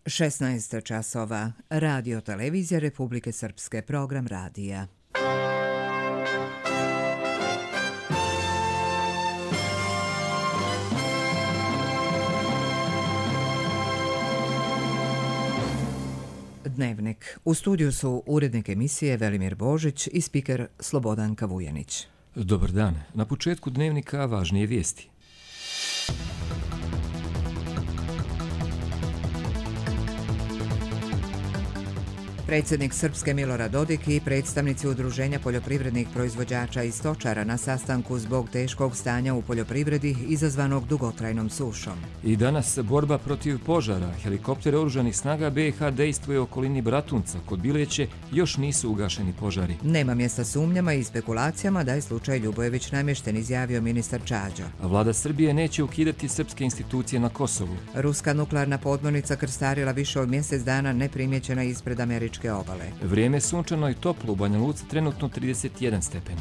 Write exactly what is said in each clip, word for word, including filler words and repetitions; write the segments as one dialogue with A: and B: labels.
A: šesnaest časova. Radio Televizija Republike Srpske, program radija. Dnevnik. U studiju su urednik emisije Velimir Božić i spiker Slobodanka Vujanić.
B: Dobar dan. Na početku dnevnika važnije vijesti.
A: Predsjednik Srpske Milorad Dodik i predstavnici Udruženja poljoprivrednih proizvođača i stočara na sastanku zbog teškog stanja u poljoprivredi izazvanog dugotrajnom sušom.
B: I danas borba protiv požara. Helikopter oružanih snaga B i H dejstvuje u okolini Bratunca. Kod Bileće još nisu ugašeni požari.
A: Nema mjesta sumnjama i spekulacijama da je slučaj Ljubojević namješten, izjavio ministar Čađo.
B: A vlada Srbije neće ukidati srpske institucije na Kosovu.
A: Ruska nuklearna podmornica krstarila više od mjesec dana neprimjećena ispred američke obale.
B: Vrijeme je sunčano i toplo, u Banja Luci trenutno trideset jedan stepen.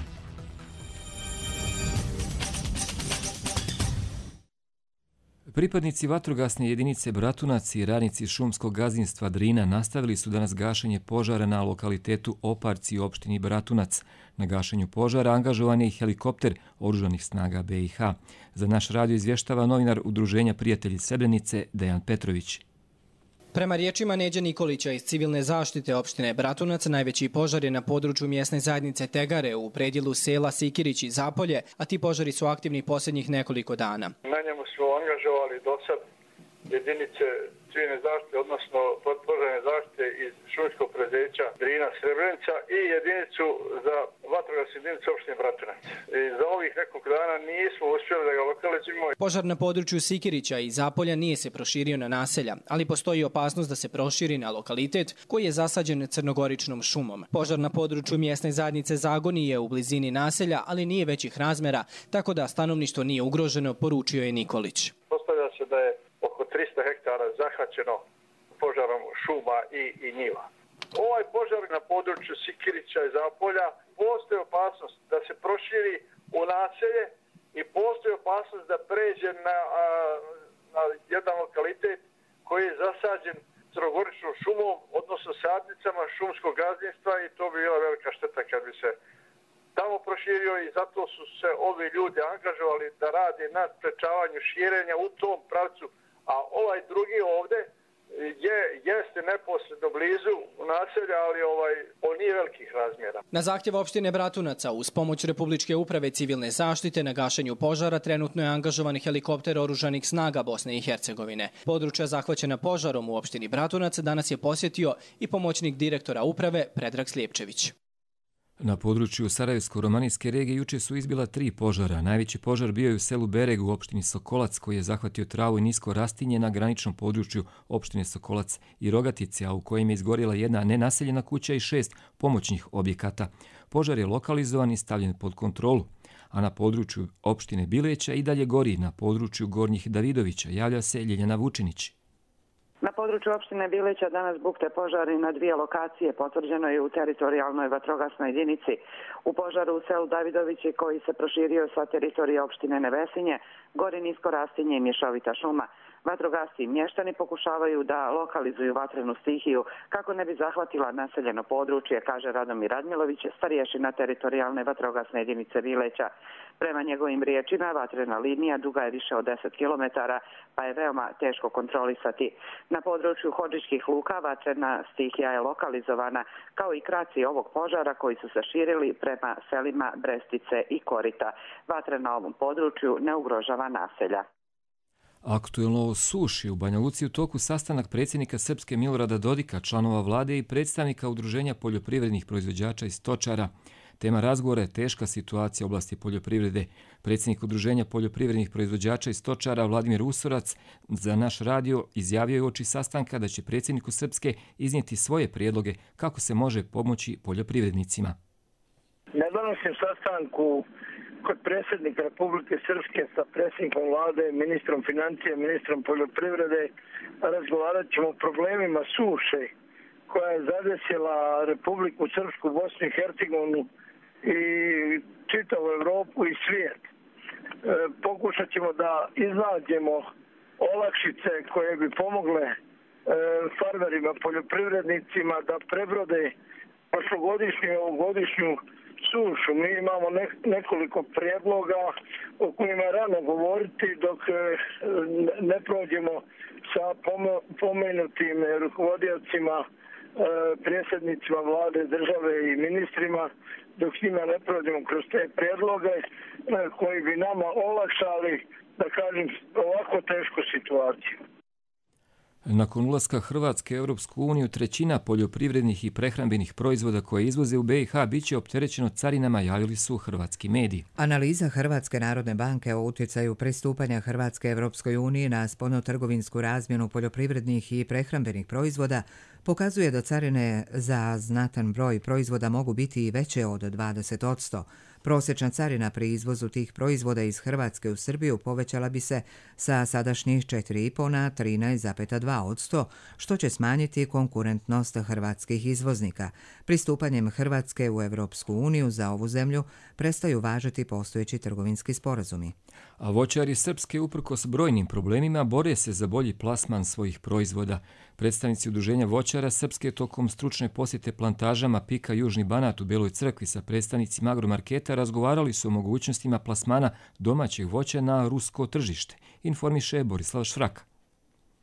B: Pripadnici vatrogasne jedinice Bratunac i radnici šumskog gazdinstva Drina nastavili su danas gašenje požara na lokalitetu Oparci u opštini Bratunac. Na gašenju požara angažovan je i helikopter oružanih snaga B i H. Za naš radio izvještava novinar Udruženja Prijatelji Srebrenice Dejan Petrović.
C: Prema riječima Neđe Nikolića iz civilne zaštite opštine Bratunac, najveći požar je na području mjesne zajednice Tegare u predjelu sela Sikirić i Zapolje, a ti požari su aktivni posljednjih nekoliko dana.
D: Na njemu smo angažovali do sad jedinice civilne zaštite, odnosno požarne zaštite iz šumskog preduzeća Drina Srebrenica i jedinicu za vatrogasnu jedinicu opštine Bratunac. I za ovih nekog dana nismo uspjeli da ga lokalizujemo.
C: Požar na području Sikirića i Zapolja nije se proširio na naselja, ali postoji opasnost da se proširi na lokalitet koji je zasađen crnogoričnom šumom. Požar na području mjesne zajednice Zagoni je u blizini naselja, ali nije većih razmjera, tako da stanovništvo nije ugroženo, poručio je Nikolić.
D: Postavlja se da je oko trista hektara zahvaćeno požarom šuma i, i njiva. Ovaj požar na području Sikirića i Zapolja postoji opasnost da se proširi u naselje i postoji opasnost da pređe na, a, na jedan lokalitet koji je zasađen crnogoričnom šumom, odnosno sadnicama šumskog gazdinstva, i to bi bila velika šteta kad bi se tamo proširio, i zato su se ovi ljudi angažovali da rade na sprečavanju širenja u tom pravcu. A ovaj drugi ovdje je, jeste neposredno blizu naselja, ali ovaj, on nije velikih razmjera.
C: Na zahtjev opštine Bratunaca uz pomoć Republičke uprave civilne zaštite na gašenju požara trenutno je angažovan helikopter oružanih snaga Bosne i Hercegovine. Područja zahvaćena požarom u opštini Bratunac danas je posjetio i pomoćnik direktora uprave Predrag Slijepčević.
B: Na području Sarajevsko-romanijske regije juče su izbila tri požara. Najveći požar bio je u selu Bereg u opštini Sokolac, koji je zahvatio travu i nisko rastinje na graničnom području opštine Sokolac i Rogatice, a u kojem je izgorjela jedna nenaseljena kuća i šest pomoćnih objekata. Požar je lokalizovan i stavljen pod kontrolu. A na području opštine Bileća i dalje gori. Na području Gornjih Davidovića javlja se Ljeljana Vučinić.
E: Na području opštine Bileća danas bukte požari na dvije lokacije, potvrđeno je u teritorijalnoj vatrogasnoj jedinici. U požaru u selu Davidovići, koji se proširio sa teritorije opštine Nevesinje, gori nisko rastinje i mješovita šuma. Vatrogasci i mještani pokušavaju da lokalizuju vatrenu stihiju kako ne bi zahvatila naseljeno područje, kaže Radomir Radmilović, starješina teritorijalne vatrogasne jedinice Bileća. Prema njegovim riječima, vatrena linija duga je više od deset kilometara, pa je veoma teško kontrolisati. Na području Hodžićkih luka vatrena stihija je lokalizovana, kao i kraci ovog požara koji su se širili prema selima Brestice i Korita. Vatra na ovom području ne ugrožava naselja.
B: Aktuelno o suši u Banja Luci u toku sastanak predsjednika Srpske Milorada Dodika, članova vlade i predstavnika Udruženja poljoprivrednih proizvođača i stočara. Tema razgovora je teška situacija u oblasti poljoprivrede. Predsjednik Udruženja poljoprivrednih proizvođača i stočara Vladimir Usorac za naš radio izjavio je uoči sastanka da će predsjedniku Srpske iznijeti svoje prijedloge kako se može pomoći poljoprivrednicima.
F: Na današnjem sastanku kod predsjednika Republike Srpske sa predsjednikom vlade, ministrom financije, ministrom poljoprivrede razgovarat ćemo o problemima suše koja je zadesila Republiku Srpsku, Bosnu i Hercegovinu i čitavu Evropu i svijet. E, pokušat ćemo da iznađemo olakšice koje bi pomogle farmerima, poljoprivrednicima da prebrode prošlogodišnju i ovogodišnju sušu. Mi imamo nekoliko prijedloga o kojima je rano govoriti dok ne prođemo sa pomenutim rukovodiocima, predsjednicima vlade, države i ministrima, dok s njima ne prođemo kroz te prijedloge koji bi nama olakšali, da kažem, ovako tešku situaciju.
B: Nakon ulaska Hrvatske u Europsku uniju, trećina poljoprivrednih i prehrambenih proizvoda koje izvoze u be i ha biće opterećeno carinama, javili su hrvatski mediji.
A: Analiza Hrvatske narodne banke o utjecaju pristupanja Hrvatske Europskoj uniji na spoljnotrgovinsku razmjenu poljoprivrednih i prehrambenih proizvoda pokazuje da carine za znatan broj proizvoda mogu biti i veće od dvadeset posto. Prosječna carina pri izvozu tih proizvoda iz Hrvatske u Srbiju povećala bi se sa sadašnjih četiri zarez pet na trinaest zarez dva posto, što će smanjiti konkurentnost hrvatskih izvoznika. Pristupanjem Hrvatske u Europsku uniju za ovu zemlju prestaju važiti postojeći trgovinski sporazumi.
B: A voćari Srpske, uprkos brojnim problemima, bore se za bolji plasman svojih proizvoda. Predstavnici Udruženja voćara Srpske tokom stručne posjete plantažama Pika Južni Banat u Beloj Crkvi sa predstavnicima agromarketa razgovarali su o mogućnostima plasmana domaćih voća na rusko tržište, informiše Borislav Švraka.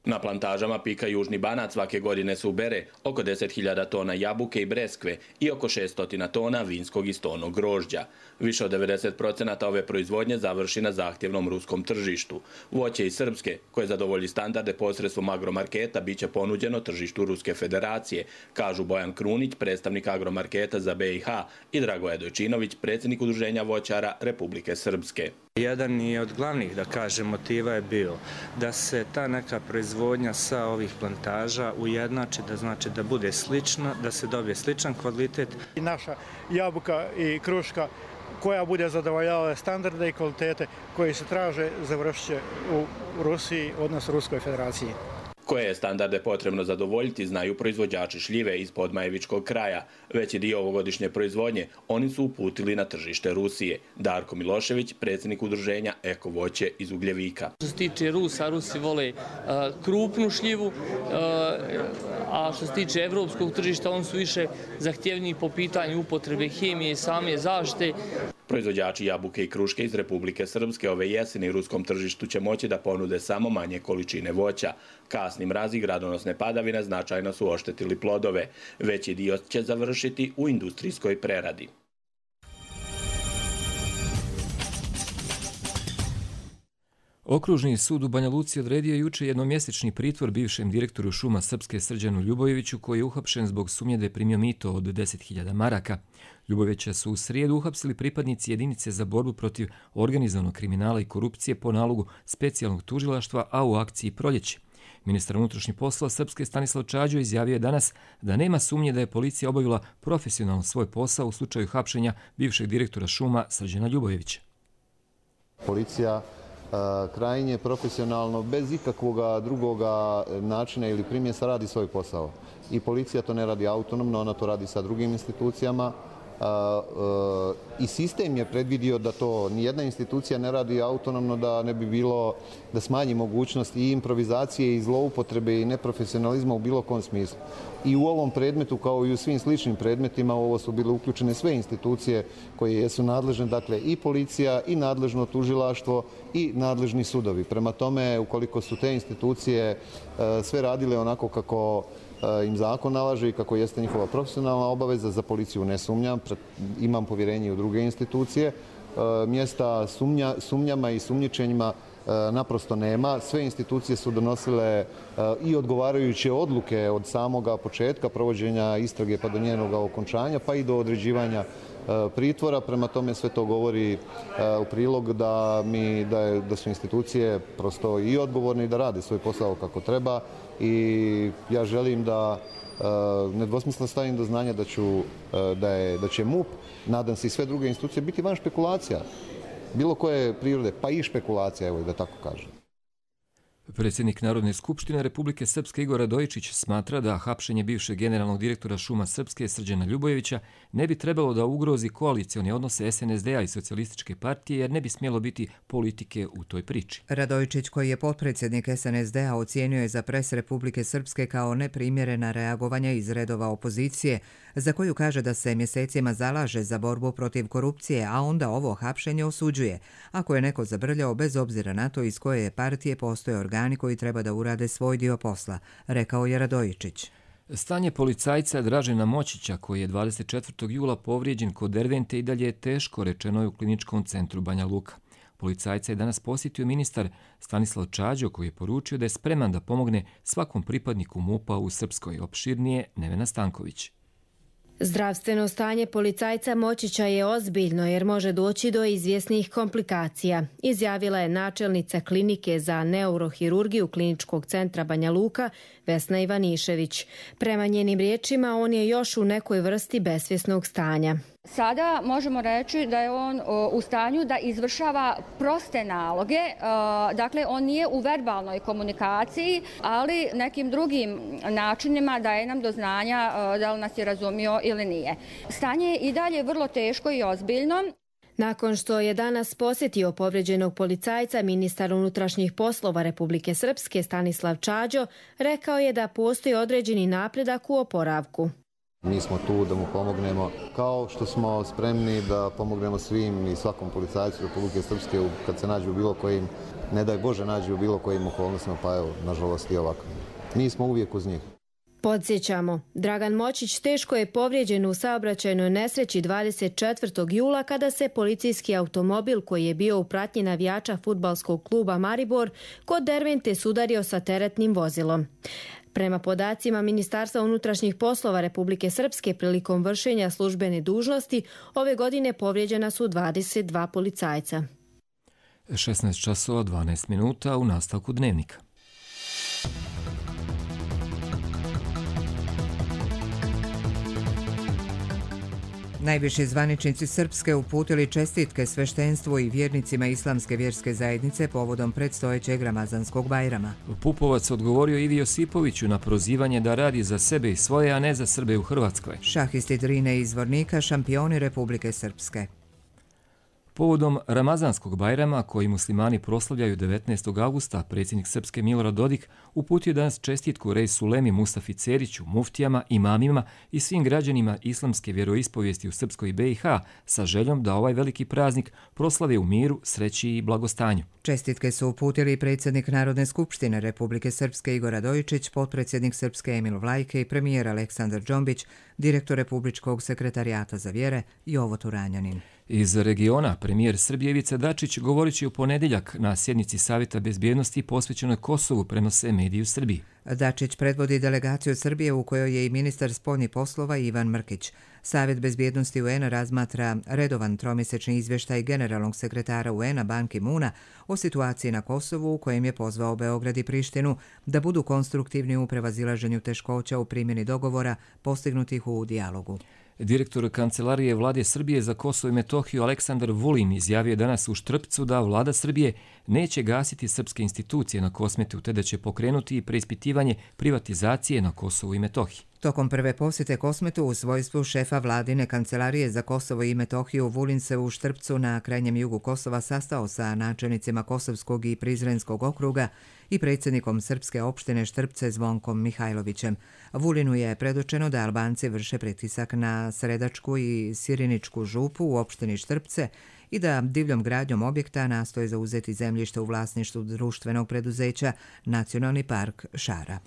G: Na plantažama Pika Južni Banat svake godine se ubere oko deset hiljada tona jabuke i breskve i oko šessto tona vinskog i stonog grožđa. Više od devedeset posto ove proizvodnje završi na zahtjevnom ruskom tržištu. Voće iz Srpske, koje zadovolji standarde posredstvom agromarketa, bit će ponuđeno tržištu Ruske federacije, kažu Bojan Krunić, predstavnik agromarketa za be i ha, i Dragoje Dojčinović, predsjednik Udruženja voćara Republike Srpske.
H: Jedan i od glavnih, da kažem, motiva je bio da se ta neka proizvodnja sa ovih plantaža ujednači, da znači da bude slična, da se dobije sličan kvalitet.
I: I naša jabuka i kruška koja bude zadovoljavala standarde i kvalitete koji se traže završit će u Rusiji, odnosno Ruskoj federaciji.
G: Koje je standarde potrebno zadovoljiti znaju proizvođači šljive iz Podmajevičkog kraja. Veći dio ovogodišnje proizvodnje oni su uputili na tržište Rusije. Darko Milošević, predsjednik udruženja Eko voće iz Ugljevika.
J: Što se tiče Rusa, Rusi vole uh, krupnu šljivu, uh, a što se tiče evropskog tržišta, oni su više zahtjevniji po pitanju upotrebe hemije i same zaštite.
G: Proizvođači jabuke i kruške iz Republike Srpske ove jeseni ruskom tržištu će moći da ponude samo manje količine voća. Kasni mrazi i gradonosne padavine značajno su oštetili plodove. Veći dio će završiti u industrijskoj preradi.
B: Okružni sud u Banja Luci odredio juče jednomjesečni pritvor bivšem direktoru šuma Srpske Srđanu Ljubojeviću, koji je uhapšen zbog sumnje da je primio mito od deset hiljada maraka. Ljubojevića su u srijedu uhapsili pripadnici jedinice za borbu protiv organizovanog kriminala i korupcije po nalogu specijalnog tužilaštva, a u akciji Proljeće. Ministar unutrašnjih poslova Srpske Stanislav Čađo izjavio je danas da nema sumnje da je policija obavila profesionalno svoj posao u slučaju hapšenja bivšeg direktora šuma Srđana Ljubojevića.
K: Policija krajnje profesionalno, bez ikakvog drugog načina ili primjesa radi svoj posao. I policija to ne radi autonomno, ona to radi sa drugim institucijama. I sistem je predvidio da to nijedna institucija ne radi autonomno, da ne bi bilo, da smanji mogućnost i improvizacije i zloupotrebe i neprofesionalizma u bilo kom smislu. I u ovom predmetu, kao i u svim sličnim predmetima, u ovo su bile uključene sve institucije koje jesu nadležne, dakle i policija, i nadležno tužilaštvo, i nadležni sudovi. Prema tome, ukoliko su te institucije sve radile onako kako im zakon nalaže i kako jeste njihova profesionalna obaveza, za policiju ne sumnjam, imam povjerenje u druge institucije. Mjesta sumnja, sumnjama i sumnjičenjima naprosto nema. Sve institucije su donosile i odgovarajuće odluke od samoga početka provođenja istrage pa do njenog okončanja, pa i do određivanja pritvora. Prema tome sve to govori u prilog da, mi, da, je, da su institucije prosto i odgovorne i da rade svoj posao kako treba. I ja želim da nedvosmisleno stavim do znanja da, ću, da, je, da će MUP, nadam se i sve druge institucije, biti van špekulacija. Bilo koje prirode, pa i špekulacija, evo da tako kažem.
B: Predsjednik Narodne skupštine Republike Srpske Igor Radojičić smatra da hapšenje bivšeg generalnog direktora Šuma Srpske Srđana Ljubojevića ne bi trebalo da ugrozi koalicione odnose S N S D-a i Socijalističke partije jer ne bi smjelo biti politike u toj priči.
A: Radojičić, koji je potpredsjednik S N S D-a, ocijenio je za pres Republike Srpske kao neprimjerena reagovanja iz redova opozicije, za koju kaže da se mjesecima zalaže za borbu protiv korupcije, a onda ovo hapšenje osuđuje, ako je neko zabrljao bez obzira na to iz koje partije postoje organi koji treba da urade svoj dio posla, rekao je Radojičić.
B: Stanje policajca Dražena Moćića, koji je dvadeset četvrtog jula povrijeđen kod Dervente, i dalje je teško, rečeno je u kliničkom centru Banja Luka. Policajca je danas posjetio ministar Stanislav Čađo, koji je poručio da je spreman da pomogne svakom pripadniku MUP-a u Srpskoj. Opširnije Nevena Stanković.
L: Zdravstveno stanje policajca Moćića je ozbiljno jer može doći do izvjesnih komplikacija, izjavila je načelnica klinike za neurohirurgiju kliničkog centra Banja Luka Vesna Ivanišević. Prema njenim riječima on je još u nekoj vrsti besvjesnog stanja.
M: Sada možemo reći da je on u stanju da izvršava proste naloge, dakle on nije u verbalnoj komunikaciji, ali nekim drugim načinima daje nam do znanja da li nas je razumio ili nije. Stanje je i dalje vrlo teško i ozbiljno.
L: Nakon što je danas posjetio povrijeđenog policajca, ministar unutrašnjih poslova Republike Srpske Stanislav Čađo rekao je da postoji određeni napredak u oporavku.
K: Mi smo tu da mu pomognemo, kao što smo spremni da pomognemo svim i svakom policajcu Republike Srpske kad se nađu u bilo kojim, ne daj Bože, nađu u bilo kojim okolnostima, pa evo, nažalost i ovako. Mi smo uvijek uz njih.
L: Podsjećamo, Dragan Moćić teško je povrijeđen u saobraćajnoj nesreći dvadeset četvrtog jula kada se policijski automobil koji je bio u pratnji navijača fudbalskog kluba Maribor kod Dervente sudario sa teretnim vozilom. Prema podacima Ministarstva unutrašnjih poslova Republike Srpske, prilikom vršenja službene dužnosti ove godine povrijeđena su dvadeset dva policajca.
B: šesnaest časova dvanaest minuta u nastavku dnevnika.
A: Najviši zvaničnici Srpske uputili čestitke sveštenstvu i vjernicima islamske vjerske zajednice povodom predstojećeg Ramazanskog Bajrama.
B: Pupovac odgovorio Ivi Josipoviću na prozivanje da radi za sebe i svoje, a ne za Srbe u Hrvatskoj.
A: Šahisti Drine iz Zvornika, šampioni Republike Srpske.
B: Povodom Ramazanskog Bajrama, koji muslimani proslavljaju devetnaestog avgusta, predsjednik Srpske Milorad Dodik uputio danas čestitku Rejsu Lemi Mustafi Ceriću, muftijama, imamima i svim građanima islamske vjeroispovijesti u Srpskoj B i H sa željom da ovaj veliki praznik proslave u miru, sreći i blagostanju.
A: Čestitke su uputili predsjednik Narodne skupštine Republike Srpske Igor Radojičić, potpredsjednik Srpske Emil Vlajke i premijer Aleksandar Džombić, direktor Republičkog sekretarijata za vjere Jovo Turanjanin.
B: Iz regiona premijer Srbije Ivica Dačić govorit će u ponedjeljak na sjednici Savjeta bezbjednosti posvećenoj Kosovu, prenose mediji u Srbiji.
A: Dačić predvodi delegaciju Srbije u kojoj je i ministar spoljnih poslova Ivan Mrkić. Savjet bezbjednosti U N razmatra redovan tromjesečni izvještaj generalnog sekretara U N Ban Ki-moona o situaciji na Kosovu, u kojem je pozvao Beograd i Prištinu da budu konstruktivni u prevazilaženju teškoća u primjeni dogovora postignutih u dijalogu.
B: Direktor Kancelarije Vlade Srbije za Kosovo i Metohiju Aleksandar Vulin izjavio danas u Štrpcu da Vlada Srbije neće gasiti srpske institucije na Kosmetu, te da će pokrenuti preispitivanje privatizacije na Kosovu i Metohiji.
A: Tokom prve posjete Kosmetu u svojstvu šefa Vladine Kancelarije za Kosovo i Metohiju, Vulin se u Štrpcu na krajnjem jugu Kosova sastao sa načelnicima Kosovskog i Prizrenskog okruga i predsjednikom srpske opštine Štrpce Zvonkom Mihajlovićem. Vulinu je predočeno da Albanci vrše pritisak na Sredačku i Siriničku župu u opštini Štrpce i da divljom gradnjom objekta nastoje zauzeti zemljište u vlasništvu društvenog preduzeća Nacionalni park Šara.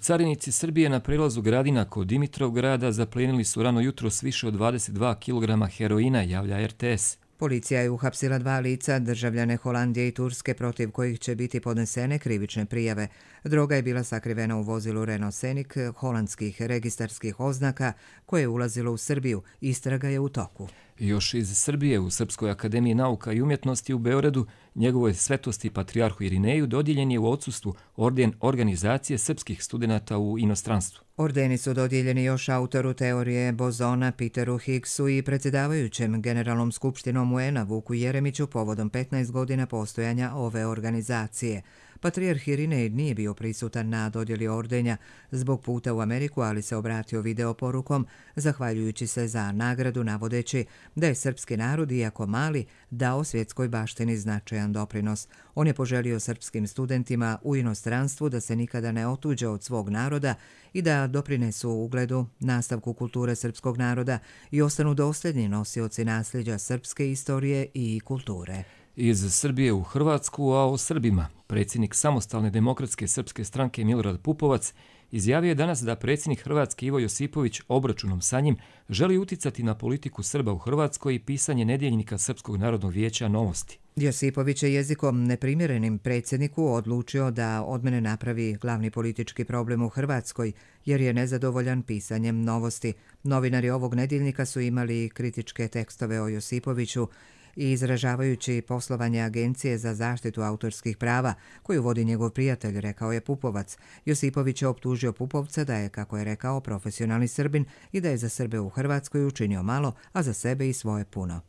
B: Carinici Srbije na prelazu Gradina kod Dimitrovgrada zaplenili su rano jutro s više od dvadeset dva kilograma heroina, javlja R T S.
A: Policija je uhapsila dva lica, državljane Holandije i Turske, protiv kojih će biti podnesene krivične prijave. Droga je bila sakrivena u vozilu Renault Scenic holandskih registarskih oznaka koje je ulazilo u Srbiju. Istraga je u toku.
B: Još iz Srbije u Srpskoj akademiji nauka i umjetnosti u Beogradu njegovoj svetosti patrijarhu Irineju dodijeljen je u odsustvu orden Organizacije srpskih studenata u inostranstvu.
A: Ordeni su dodijeljeni još autoru teorije bozona Peteru Higgsu i predsjedavajućem Generalnom skupštinom U N-a Vuku Jeremiću povodom petnaest godina postojanja ove organizacije. Patrijarh Irinej nije bio prisutan na dodjeli ordenja zbog puta u Ameriku, ali se obratio video porukom, zahvaljujući se za nagradu, navodeći da je srpski narod, iako mali, dao svjetskoj baštini značajan doprinos. On je poželio srpskim studentima u inostranstvu da se nikada ne otuđe od svog naroda i da doprinesu ugledu, nastavku kulture srpskog naroda i ostanu dosljedni nosioci nasljeđa srpske istorije i kulture.
B: Iz Srbije u Hrvatsku, a o Srbima. Predsjednik Samostalne demokratske srpske stranke Milorad Pupovac izjavio je danas da predsjednik Hrvatske Ivo Josipović obračunom sa njim želi uticati na politiku Srba u Hrvatskoj i pisanje nedjeljnika Srpskog narodnog vijeća Novosti.
A: Josipović je jezikom neprimjerenim predsjedniku odlučio da od mene napravi glavni politički problem u Hrvatskoj, jer je nezadovoljan pisanjem Novosti. Novinari ovog nedjeljnika su imali kritičke tekstove o Josipoviću i izražavajući poslovanje Agencije za zaštitu autorskih prava, koju vodi njegov prijatelj, rekao je Pupovac. Josipović je optužio Pupovca da je, kako je rekao, profesionalni Srbin i da je za Srbe u Hrvatskoj učinio malo, a za sebe i svoje puno.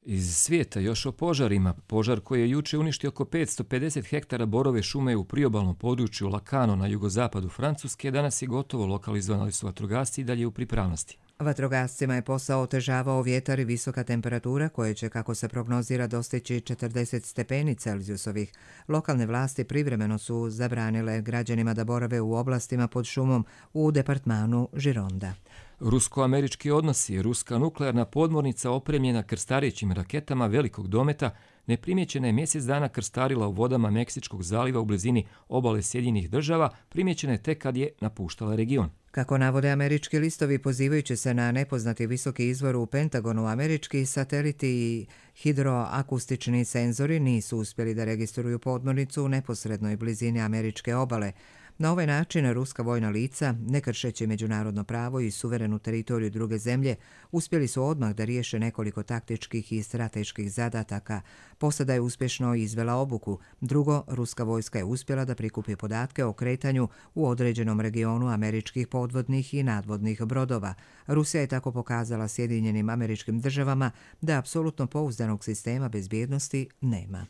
B: Iz svijeta još o požarima. Požar koji je juče uništio oko petsto pedeset hektara borove šume u priobalnom području Lacano na jugozapadu Francuske danas je gotovo lokalizovan, ali su vatrogasci i dalje u pripravnosti.
A: Vatrogascima je posao otežavao vjetar i visoka temperatura koje će, kako se prognozira, dostići četrdeset stepeni Celzijusovih. Lokalne vlasti privremeno su zabranile građanima da borave u oblastima pod šumom u departmanu Gironda.
B: Rusko-američki odnosi. Ruska nuklearna podmornica opremljena krstarećim raketama velikog dometa neprimjećena je mjesec dana krstarila u vodama Meksičkog zaliva u blizini obale Sjedinjenih država, primjećena je tek kad je napuštala region.
A: Kako navode američki listovi, pozivajući se na nepoznati visoki izvor u Pentagonu, američki sateliti i hidroakustični senzori nisu uspjeli da registruju podmornicu u neposrednoj blizini američke obale. Na ovaj način ruska vojna lica, ne kršeći međunarodno pravo i suverenu teritoriju druge zemlje, uspjeli su odmah da riješe nekoliko taktičkih i strateških zadataka. Posada je uspješno izvela obuku. Drugo, ruska vojska je uspjela da prikupi podatke o kretanju u određenom regionu američkih podvodnih i nadvodnih brodova. Rusija je tako pokazala Sjedinjenim Američkim Državama da apsolutno pouzdanog sistema bezbjednosti nema.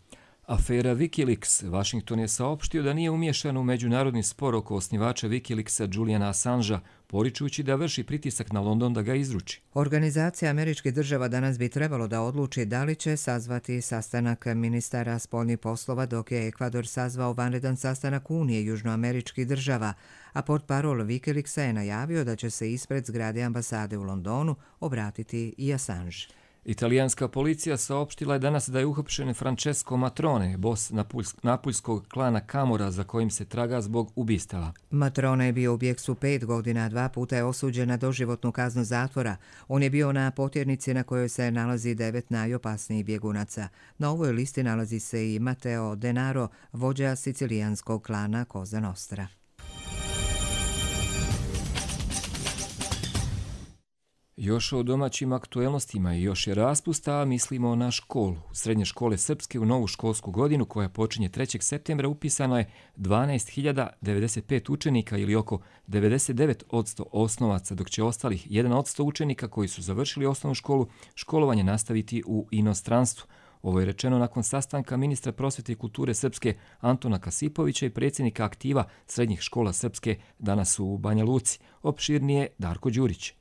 B: Afera Wikileaks. Washington je saopštio da nije umiješan u međunarodni spor oko osnivača Wikileaksa Juliana Assangea, poričujući da vrši pritisak na London da ga izruči.
A: Organizacija američkih država danas bi trebalo da odluči da li će sazvati sastanak ministara spoljnih poslova, dok je Ekvador sazvao vanredan sastanak Unije južnoameričkih država, a portparol Wikileaksa je najavio da će se ispred zgrade ambasade u Londonu obratiti i Assange.
B: Italijanska policija saopštila je danas da je uhapšen Francesco Matrone, bos napuljskog klana Camorra, za kojim se traga zbog ubistava.
A: Matrone je bio u bijeksu pet godina, dva puta je osuđen na doživotnu kaznu zatvora. On je bio na potjernici na kojoj se nalazi devet najopasnijih bjegunaca. Na ovoj listi nalazi se i Matteo Denaro, vođa sicilijanskog klana Cosa Nostra.
B: Još o domaćim aktuelnostima i još je raspusta, a mislimo na školu. U srednje škole srpske u novu školsku godinu, koja počinje trećeg septembra, upisano je dvanaest hiljada devedeset pet učenika ili oko devedeset devet posto osnovaca, dok će ostalih jedan posto učenika koji su završili osnovnu školu školovanje nastaviti u inostranstvu. Ovo je rečeno nakon sastanka ministra prosvjete i kulture Srpske Antona Kasipovića i predsjednika aktiva srednjih škola Srpske danas u Banja Luci. Opširnije Darko Đurić.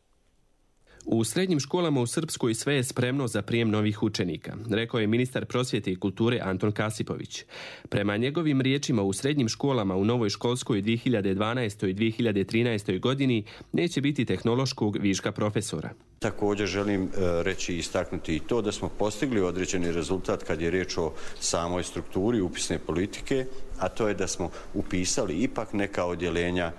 N: U srednjim školama u Srpskoj sve je spremno za prijem novih učenika, rekao je ministar prosvjete i kulture Anton Kasipović. Prema njegovim riječima, u srednjim školama u novoj školskoj dvije hiljade dvanaestoj i dvije hiljade trinaestoj godini neće biti tehnološkog viška profesora.
O: Također želim reći i istaknuti i to da smo postigli određeni rezultat kad je riječ o samoj strukturi upisne politike, a to je da smo upisali ipak neka odjeljenja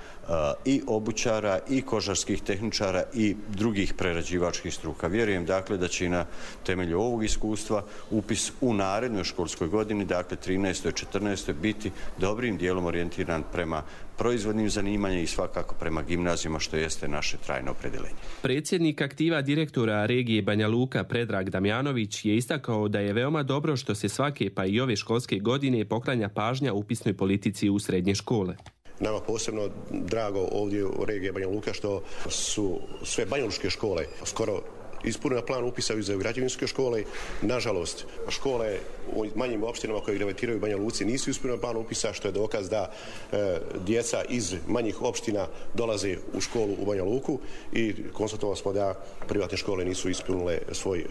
O: i obućara i kožarskih tehničara i drugih prerađivačkih struka. Vjerujem dakle da će na temelju ovog iskustva upis u narednoj školskoj godini, dakle trinaestoj i četrnaestoj biti dobrim dijelom orijentiran prema proizvodnim zanimanjima i svakako prema gimnazijama, što jeste naše trajno opredjeljenje.
N: Predsjednik aktiva direktora regije Banja Luka Predrag Damjanović je istakao da je veoma dobro što se svake pa i ove školske godine poklanja pažnja upisnoj politici u srednje škole.
P: Nama posebno drago ovdje u regiji Banja Luka što su sve banjalučke škole skoro ispunila plan upisa u građevinske škole. Nažalost, škole u manjim opštinama koje gravitiraju u Banja Luci nisu ispunila plan upisa, što je dokaz da e, djeca iz manjih opština dolaze u školu u Banja Luku i konstatovali smo da privatne škole nisu ispunile svoj e,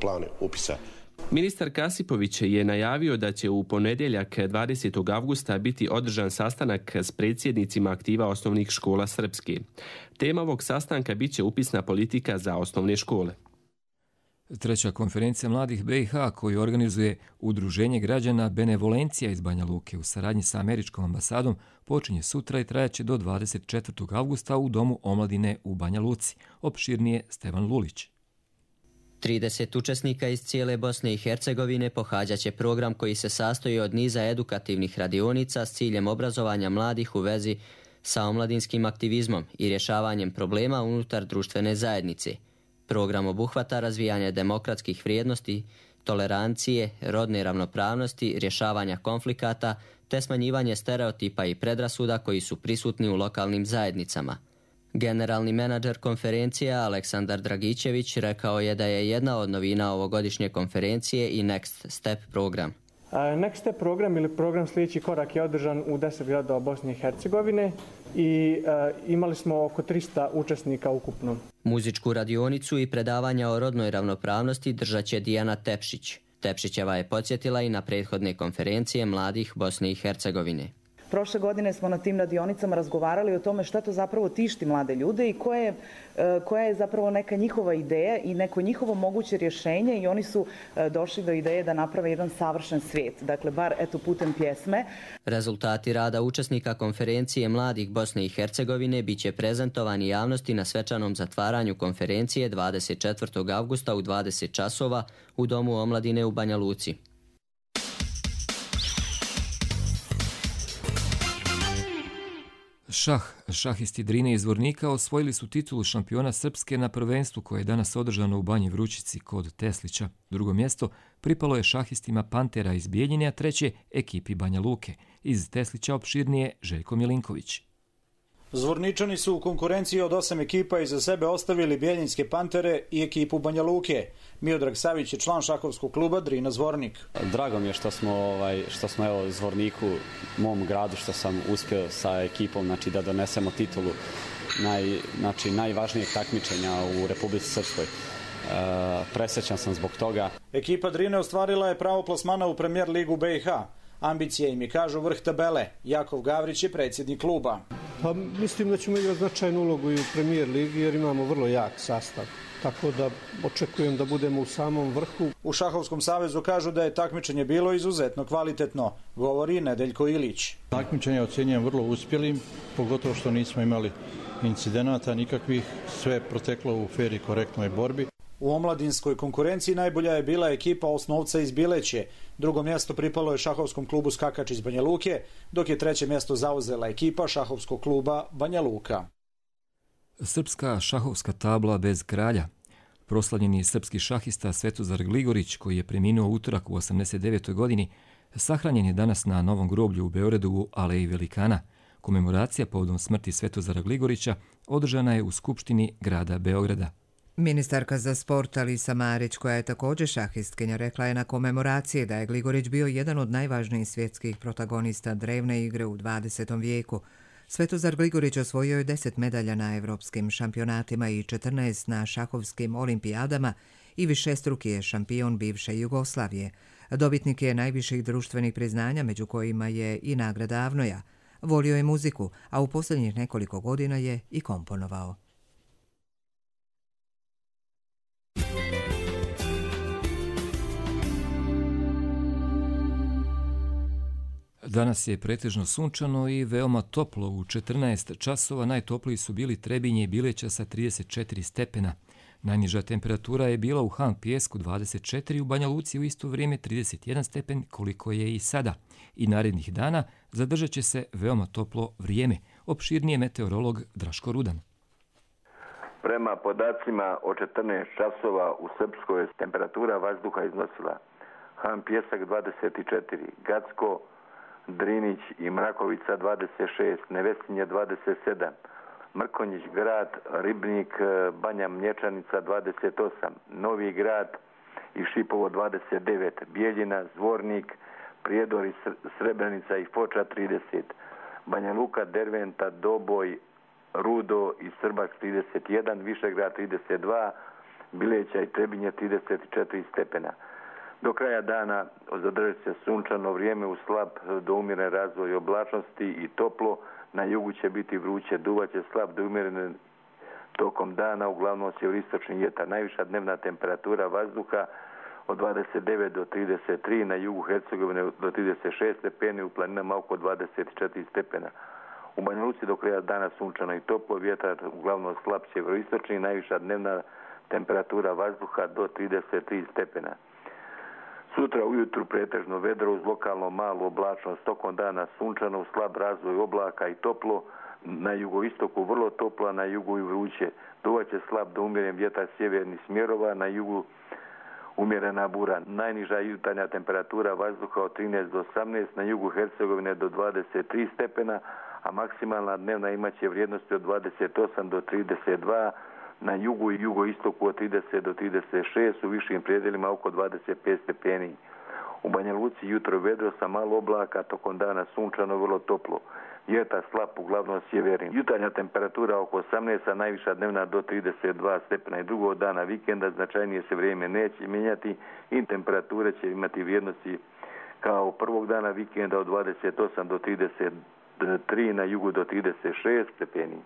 P: plan upisa.
N: Ministar Kasipović je najavio da će u ponedjeljak dvadesetog avgusta biti održan sastanak s predsjednicima aktiva osnovnih škola Srpske. Tema ovog sastanka biće upisna politika za osnovne škole.
B: Treća konferencija mladih B i H koju organizuje Udruženje građana Benevolencija iz Banja Luke u saradnji sa američkom ambasadom počinje sutra i trajaće do dvadeset četvrtog avgusta u Domu omladine u Banja Luci. Opširnije Stevan Lulić.
Q: trideset učesnika iz cijele Bosne i Hercegovine pohađaće program koji se sastoji od niza edukativnih radionica s ciljem obrazovanja mladih u vezi sa omladinskim aktivizmom i rješavanjem problema unutar društvene zajednice. Program obuhvata razvijanje demokratskih vrijednosti, tolerancije, rodne ravnopravnosti, rješavanja konflikata te smanjivanje stereotipa i predrasuda koji su prisutni u lokalnim zajednicama. Generalni menadžer konferencije Aleksandar Dragićević rekao je da je jedna od novina ovogodišnje konferencije i Next Step program.
R: Next Step program ili program sljedeći korak je održan u deset gradova Bosne i Hercegovine i uh, imali smo oko trista učesnika ukupno.
Q: Muzičku radionicu i predavanja o rodnoj ravnopravnosti držat će Dijana Tepšić. Tepšićeva je podsjetila i na prethodne konferencije mladih Bosne i Hercegovine.
S: Prošle godine smo na tim radionicama razgovarali o tome šta to zapravo tišti mlade ljude i koje, koja je zapravo neka njihova ideja i neko njihovo moguće rješenje i oni su došli do ideje da naprave jedan savršen svijet. Dakle, bar eto putem pjesme.
Q: Rezultati rada učesnika konferencije mladih Bosne i Hercegovine bit će prezentovani javnosti na svečanom zatvaranju konferencije dvadeset četvrtog avgusta u dvadeset časova u Domu omladine u Banja Luci.
B: Šah, šahisti Drine iz Zvornika osvojili su titulu šampiona Srpske na prvenstvu koje je danas održano u Banji Vrućici kod Teslića. Drugo mjesto pripalo je šahistima Pantera iz Bijeljine, a treće ekipi Banja Luke. Iz Teslića opširnije Željko Milinković.
T: Zvorničani su u konkurenciji od osam ekipa iza sebe ostavili Bijeljinske Pantere i ekipu Banja Luke. Miodrag Savić je član šahovskog kluba Drina Zvornik.
U: Drago mi je što smo, ovaj, što smo evo, Zvorniku, mom gradu, što sam uspio sa ekipom znači, da donesemo titulu naj, znači, najvažnijeg takmičenja u Republici Srpskoj. E, presrećan sam zbog toga.
T: Ekipa Drine ostvarila je pravo plasmana u Premier ligu B i H. Ambicije im je, kažu, vrh tabele. Jakov Gavrić je predsjednik kluba.
V: Pa, mislim da ćemo igrati značajnu ulogu i u Premier ligi jer imamo vrlo jak sastav. Tako da očekujem da budemo u samom vrhu.
T: U Šahovskom savezu kažu da je takmičenje bilo izuzetno kvalitetno, govori Nedeljko Ilić.
W: Takmičenje ocjenjujem vrlo uspjelim, pogotovo što nismo imali incidenata nikakvih, sve proteklo u fer i korektnoj borbi.
T: U omladinskoj konkurenciji najbolja je bila ekipa Osnovca iz Bileće. Drugo mjesto pripalo je šahovskom klubu Skakač iz Banja Luke, dok je treće mjesto zauzela ekipa šahovskog kluba Banja Luka.
B: Srpska šahovska tabla bez kralja. Proslavljeni srpski šahista Svetozar Gligorić, koji je preminuo utorak u osamdeset devetoj godini, sahranjen je danas na Novom groblju u Beogradu u Aleji Velikana. Komemoracija povodom smrti Svetozara Gligorića održana je u Skupštini grada Beograda.
A: Ministarka za sport Alisa Marić, koja je također šahistkinja, rekla je na komemoraciji da je Gligorić bio jedan od najvažnijih svjetskih protagonista drevne igre u dvadesetom vijeku. Svetozar Gligorić osvojio je deset medalja na evropskim šampionatima i četrnaest na šahovskim olimpijadama i višestruki je šampion bivše Jugoslavije. Dobitnik je najviših društvenih priznanja, među kojima je i nagrada Avnoja. Volio je muziku, a u posljednjih nekoliko godina je i komponovao.
B: Danas je pretežno sunčano i veoma toplo. U četrnaest časova najtopliji su bili Trebinje i Bileća sa trideset četiri stepena. Najniža temperatura je bila u Han Pijesku dvadeset četiri, u Banja Luci u isto vrijeme trideset jedan stepen, koliko je i sada. I narednih dana zadržat će se veoma toplo vrijeme. Opširnije meteorolog Draško Rudan.
X: Prema podacima od četrnaest časova u Srpskoj temperatura vazduha iznosila Han Pijesak dvadeset četiri, Gacko, Drinić i Mrakovica dvadeset šest, Nevesinje dvadeset sedam, Mrkonjić grad, Ribnik, Banja Mlječanica dvadeset osam, Novi grad i Šipovo dvadeset devet, Bijeljina, Zvornik, Prijedor i Srebrenica i Foča trideset, Banja Luka, Derventa, Doboj, Rudo i Srbak trideset jedan, Višegrad trideset dva, Bileća i Trebinje trideset četiri stepena. Do kraja dana zadržat se sunčano vrijeme u slab do umjeren razvoj oblačnosti i toplo. Na jugu će biti vruće, duvaće slab do umjerene tokom dana, uglavnom sjeveroistočni vjetar. Najviša dnevna temperatura vazduha od dvadeset devet do trideset tri, na jugu Hercegovine do trideset šest stepeni, u planinama oko dvadeset četiri stepena. U Banja Luci do kraja dana sunčano i toplo, vjetar uglavnom slab sjeveroistočni, najviša dnevna temperatura vazduha do trideset tri stepena. Sutra ujutru pretežno vedro uz lokalno malu oblačnost, tokom dana sunčano, slab razvoj oblaka i toplo, na jugoistoku vrlo toplo, na jugu i vruće. Duvaće slab do umjeren vjetar sjevernih smjerova, na jugu umjerena bura. Najniža jutarnja temperatura vazduha od trinaest do osamnaest, na jugu Hercegovine do dvadeset tri stepena, a maksimalna dnevna imaće vrijednosti od dvadeset osam do trideset dva, na jugu i jugoistoku od trideset do trideset šest, u višim predjelima oko dvadeset pet stepeni. U Banja Luci jutro vedro sa malo oblaka, tokom dana sunčano, vrlo toplo. Vjetar slab, uglavnom sjeverni. Jutarnja temperatura oko osamnaest, a najviša dnevna do trideset dva stepena. I drugog dana vikenda značajnije se vrijeme neće mijenjati i temperature će imati vrijednosti kao prvog dana vikenda od dvadeset osam do trideset tri, na jugu do trideset šest stepeni.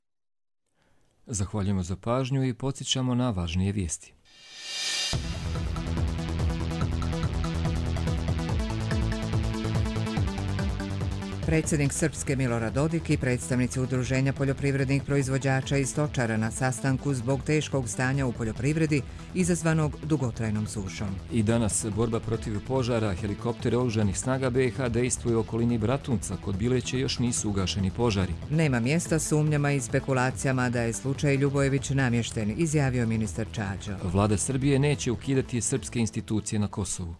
B: Zahvaljujemo za pažnju i podsjećamo na važnije vijesti.
A: Predsjednik Srpske Milorad Dodik i predstavnici Udruženja poljoprivrednih proizvođača i stočara na sastanku zbog teškog stanja u poljoprivredi izazvanog dugotrajnom sušom.
B: I danas borba protiv požara, helikoptere oružanih snaga B i H dejstvuju u okolini Bratunca, kod Bileće još nisu ugašeni požari.
A: Nema mjesta sumnjama i spekulacijama da je slučaj Ljubojević namješten, izjavio ministar Čađo.
B: Vlada Srbije neće ukidati srpske institucije na Kosovu.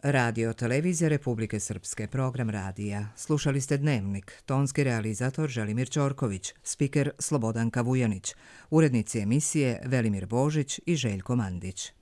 A: Radio Televizija Republike Srpske, program radija. Slušali ste Dnevnik, tonski realizator Želimir Ćorković, spiker Slobodanka Vujanić, urednici emisije Velimir Božić i Željko Mandić.